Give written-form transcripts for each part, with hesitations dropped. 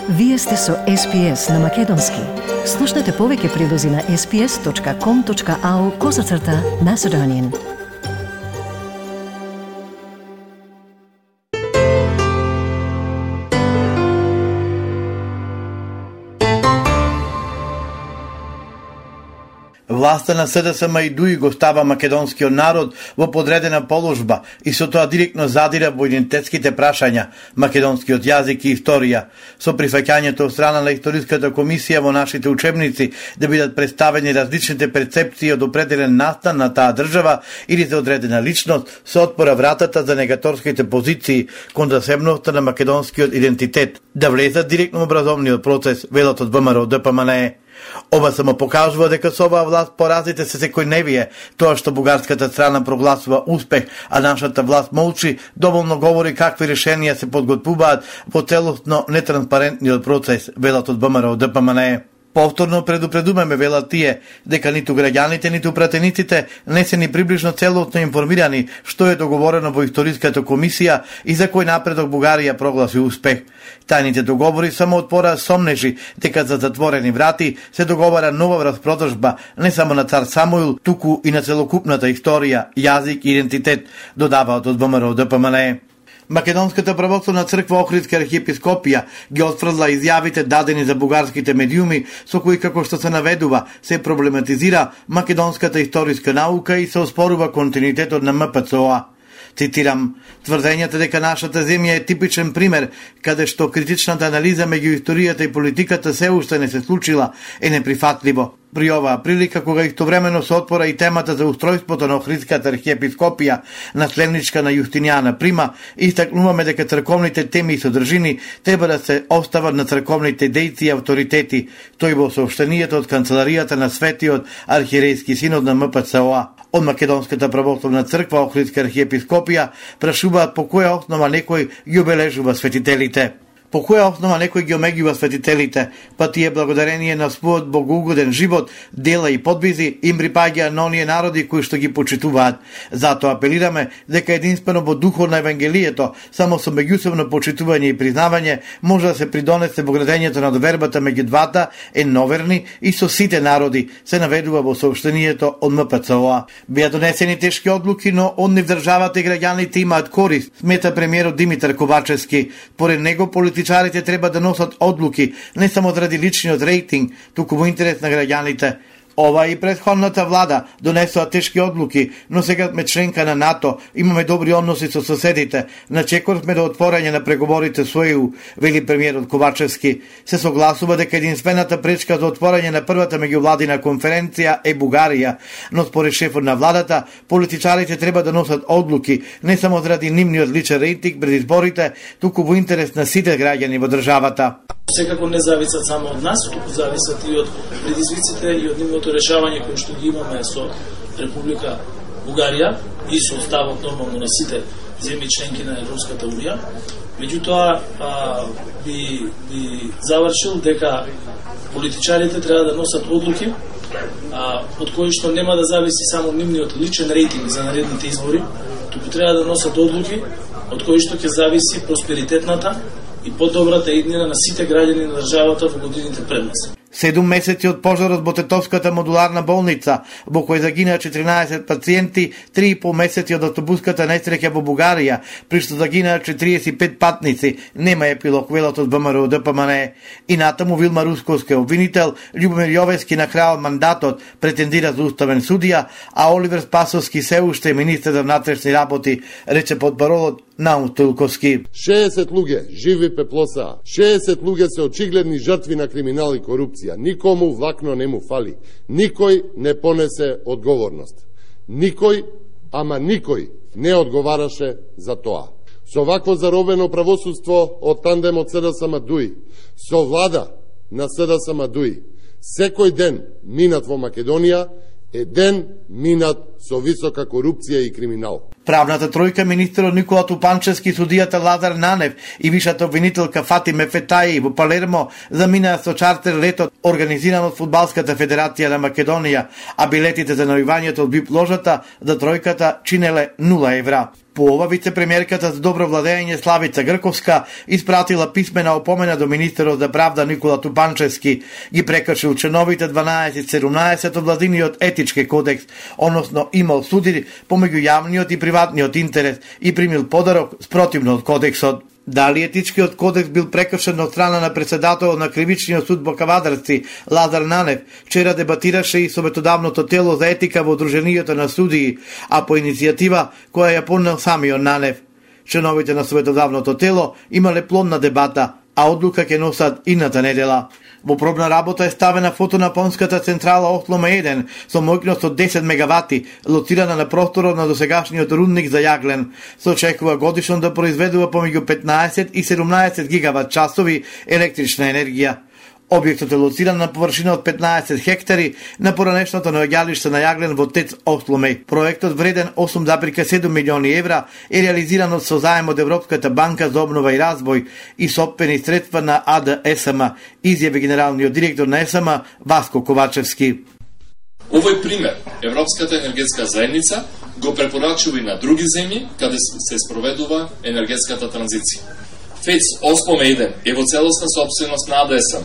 Вие сте со SPS на Македонски. Слушнете повеќе прилози на sps.com.au/Macedonian. Власта на СДСМ и ДУИ го става македонскиот народ во подредена положба и со тоа директно задира во идентитетските прашања, македонскиот јазик и историја, со прифаќањето од страна на историската комисија во нашите учебници да бидат представени различните перцепции од определен настан на таа држава или за одредена личност, се отпора вратата за негаторските позиции кон засебноста на македонскиот идентитет, да влезат директно во образовниот процес, велат од ВМРО ДПМНЕ. Ова само покажува дека со оваа власт поразите се секојдневие. Тоа што бугарската страна прогласува успех, а нашата власт молчи, доволно говори какви решенија се подготвуваат во целосно нетранспарентниот процес, велат од ВМРО ДПМНЕ. Повторно предупредуваме, велат тие, дека ниту граѓаните, ниту пратениците не се ни приближно целосно информирани што е договорено во историската комисија и за кој напредок Бугарија прогласи успех. Тајните договори само отпора сомнежи дека за затворени врати се договара нова распродажба не само на цар Самуил, туку и на целокупната историја, јазик и идентитет, додаваат од ВМРО ДПМНЕ. Македонската православна црква Охридска архиепископија ги отфрла изјавите дадени за бугарските медиуми со кои, како што се наведува, се проблематизира македонската историска наука и се оспорува континуитетот на МПЦО. Цитирам: тврдењата дека нашата земја е типичен пример каде што критичната анализа меѓу историјата и политиката се уште не се случила е неприфатливо. При оваа прилика, кога истовремено се отпора и темата за устројството на Охридската архиепископија, наследничка на Јустинијана Прима, истакнуваме дека црковните теми и содржини треба да се остават на црковните дејци и авторитети, тој во соопштенијето од канцеларијата на Светиот архиерејски синод на МПЦО. Од Македонската православна црква Охридска архиепископија прашуваат по која основа некој ги обележува светителите. По која основа некој ги омеѓува светителите, па тие благодарение на својот богоугоден живот, дела и подвизи им припаѓа на оние народи кои што ги почитуваат. Затоа апелираме дека единствено во духот на Евангелието, само со меѓусебно почитување и признавање може да се придонесе во градењето на довербата меѓу двата едноверни и со сите народи, се наведува во соопштенијето од МПЦО. Беа донесени тешки одлуки, но од нив државата и граѓаните имаат корист, смета премиерот Димитар Ковачевски. Поред него политичарите треба да носат одлуки не само заради личниот рейтинг, туку во интерес на граѓаните. Ова и претходната влада донесоа тешки одлуки, но сега сме членка на НАТО, имаме добри односи со соседите, начекор сме до отворање на преговорите со ЕУ, вели премиерот Ковачевски. Се согласува дека единствената пречка за отворање на првата меѓувладина конференција е Бугарија, но според шефот на владата, политичарите треба да носат одлуки не само заради нивниот личен рейтинг пред изборите, туку во интерес на сите граѓани во државата. Секако не зависат само од нас, туку зависат и од предизвиците и од нивното решавање кој што ги имаме со Република Бугарија и со ставот нормално на сите земји членки на Европската Унија. Меѓутоа би завршил дека политичарите треба да носат одлуки од кои што нема да зависи само нивниот личен рейтинг за наредните избори, туку треба да носат одлуки од кои што ќе зависи просперитетната и подобрата иднина на сите граѓани на државата во годините пред нас. 7 месеци од пожарот во Тетовската модуларна болница, во кој загинаа 14 пациенти, 3,5 месеци од автобуската несреќа во Бугарија, при што загинаа 45 патници, нема епилог, велат од ВМРО ДПМНЕ. И натаму Вилма Русковска, обвинител, Љубомир Јовески на крајот мандатот претендира за уставен судија, а Оливер Спасовски се уште е министер за внатрешни работи, рече потпаролот Наум Стоилковски. 60 луѓе живи пеплоса, 60 луѓе се очигледни жртви на криминал и корупција. Никому влакно не му фали. Никој не понесе одговорност. Никој, ама никој не одговараше за тоа. Со вакво заробено правосудство од тандемот СДСМ ДУИ, со влада на СДСМ ДУИ, секој ден минат во Македонија е ден минат со висока корупција и криминал. Правната тројка, министерот Никола Тупанчевски, судијата Лазар Нанев и вишата обвинителка Фатиме Фетаји во Палермо заминаа со чартер летот организиран од Фудбалската федерација на Македонија, а билетите за наоѓањето од ВИП ложата за тројката чинеле 0 евра. По ова вице-премиерката за добро владење Славица Грковска испратила писмена опомена до министерот за правда Никола Тупанчевски, ги прекршил членовите 12-17 од владиниот етички кодекс, односно имал суди помеѓу јавниот и приватниот интерес и примил подарок спротивно од кодексот. Дали етичкиот кодекс бил прекршен од страна на председателот на Кривичниот суд во Кавадарци Лазар Нанев, вчера дебатираше и советодавното тело за етика во Удруженијето на судии, а по иницијатива која ја поднел самиот Нанев. Членовите на советодавното тело имале плодна дебата, а одлука ќе носат идната недела. Во пробна работа е ставена фотонапонската централа Осломе 1 со моќност од 10 мегавати, лоцирана на просторот на досегашниот рудник за јаглен. Се очекува годишно да произведува помеѓу 15 и 17 гигават часови електрична енергија. Објектот е лоциран на површина од 15 хектари на поранешното наоѓалиште на јаглен во ТЕЦ Осломе. Проектот вреден 8,7 милиони евра е реализиран со заем од Европската банка за обнова и развој и сопствени средства на АД СМ, изјави генералниот директор на СМ Васко Ковачевски. Овој пример Европската енергетска заедница го препорачува и на други земји каде се спроведува енергетската транзиција. ТЕЦ Осломе 1 е во целосна собственост на АД СМ.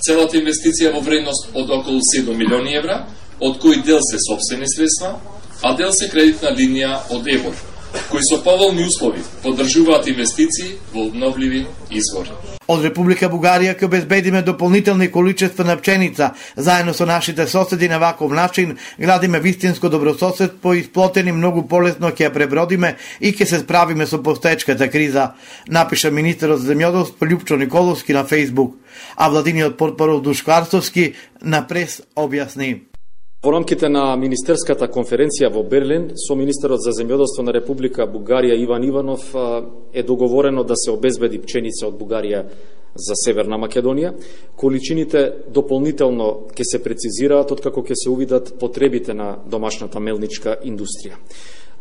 Целата инвестиција во вредност од околу 7 милиони евра, од кои дел се собствени средства, а дел се кредитна линија од ЕБОР, кои со поволни услови поддржуваат инвестиции во обновливи извори. Од Република Бугарија ќе обезбедиме дополнителни количества на пченица. Заедно со нашите соседи на ваков начин градиме вистинско добрососедство и сплотени многу полесно ќе ја пребродиме и ќе се справиме со постоечката криза, напиша министерот за земјоделство Љупчо Николовски на Фејсбук, а владиниот портпарол Душко Арцовски на прес објасни. Во рамките на министерската конференција во Берлин со министерот за земјоделство на Република Бугарија Иван Иванов е договорено да се обезбеди пченица од Бугарија за Северна Македонија. Количините дополнително ќе се прецизираат откако ќе се увидат потребите на домашната мелничка индустрија.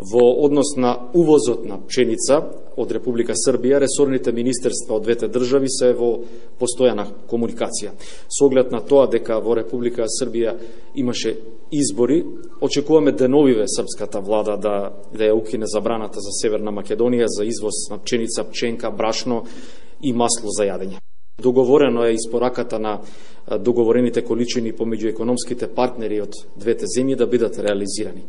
Во однос на увозот на пченица од Република Србија, ресорните министерства од двете држави се во постојана комуникација. Со оглед на тоа дека во Република Србија имаше избори, очекуваме деновиве српската влада да ја укине забраната за Северна Македонија за извоз на пченица, пченка, брашно и масло за јадење. Договорено е испораката на договорените количини помеѓу економските партнери од двете земји да бидат реализирани.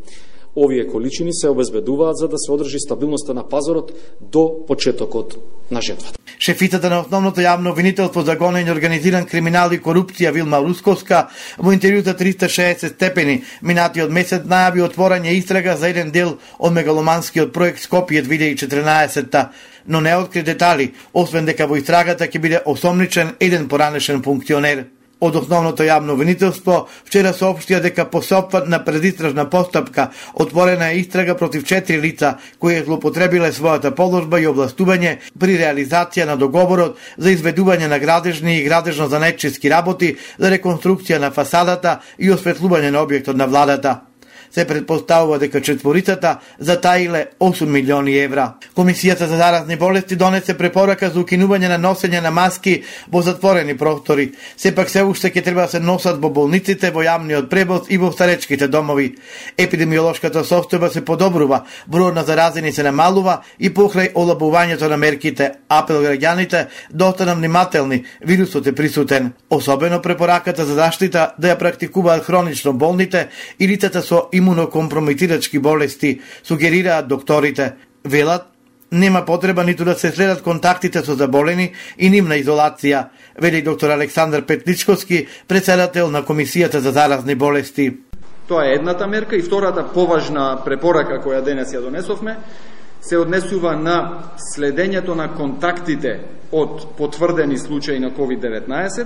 Овие количини се обезбедуваат за да се одржи стабилноста на пазарот до почетокот на жетвата. Шефицата на основното јавно обвинителство за гонење организиран криминал и корупција Вилма Русковска во интервју за 360 степени минатиот месец најави отворање истрага за еден дел од мегаломанскиот проект Скопје 2014, но не откри детали, освен дека во истрагата ќе биде осомничен еден поранешен функционер. Од основното јавно обвинителство вчера соопштија дека по сопфат на предистражна постапка отворена е истрага против 4 лица кои злоупотребиле својата положба и овластување при реализација на договорот за изведување на градежни и градежно-занетчиски работи за реконструкција на фасадата и осветлување на објектот на владата. Се предпоставува дека четворицата затаиле 8 милиони евра. Комисијата за заразни болести донесе препорака за укинување на носење на маски во затворени простори. Сепак се уште ќе треба да се носат во болниците, во јавниот превоз и во старечките домови. Епидемиолошката состојба се подобрува, бројот на заразени се намалува и покрај олабувањето на мерките, апел граѓаните да останат внимателни, вирусот е присутен. Особено препораката за заштита да ја практикуваат хронично болните и лицата со имунокомпрометирачки болести, сугерираат докторите. Велат, нема потреба ниту да се следат контактите со заболени и нивна изолација, вели доктор Александар Петличковски, председател на Комисијата за заразни болести. Тоа е едната мерка и втората поважна препорака која денес ја донесовме се однесува на следењето на контактите од потврдени случаи на COVID-19,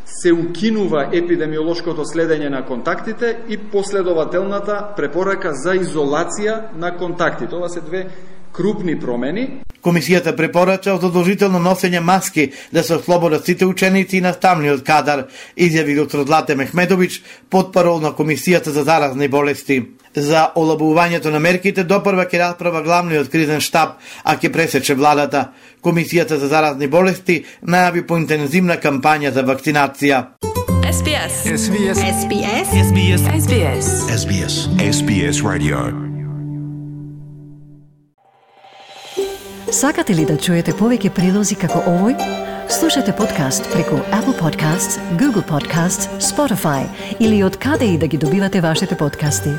се укинува епидемиолошкото следење на контактите и последователната препорака за изолација на контактите. Ова се две крупни промени. Комисијата препорача задолжително носење маски да се ослободат сите ученици и наставниот кадар, изјави доктор Злате Мехмедович, потпарол на Комисијата за заразни болести. За олабувањето на мерките допрва ќе расправа главниот кризен штаб, а ќе пресече владата. Комисијата за заразни болести најави поинтензивна кампања за вакцинација. SBS. SBS. SBS. SBS. SBS. SBS. SBS Radio. Сакате ли да чуете повеќе прилози како овој? Слушате подкаст преку Apple Podcasts, Google Podcasts, Spotify или од каде и да ги добивате вашите подкасти.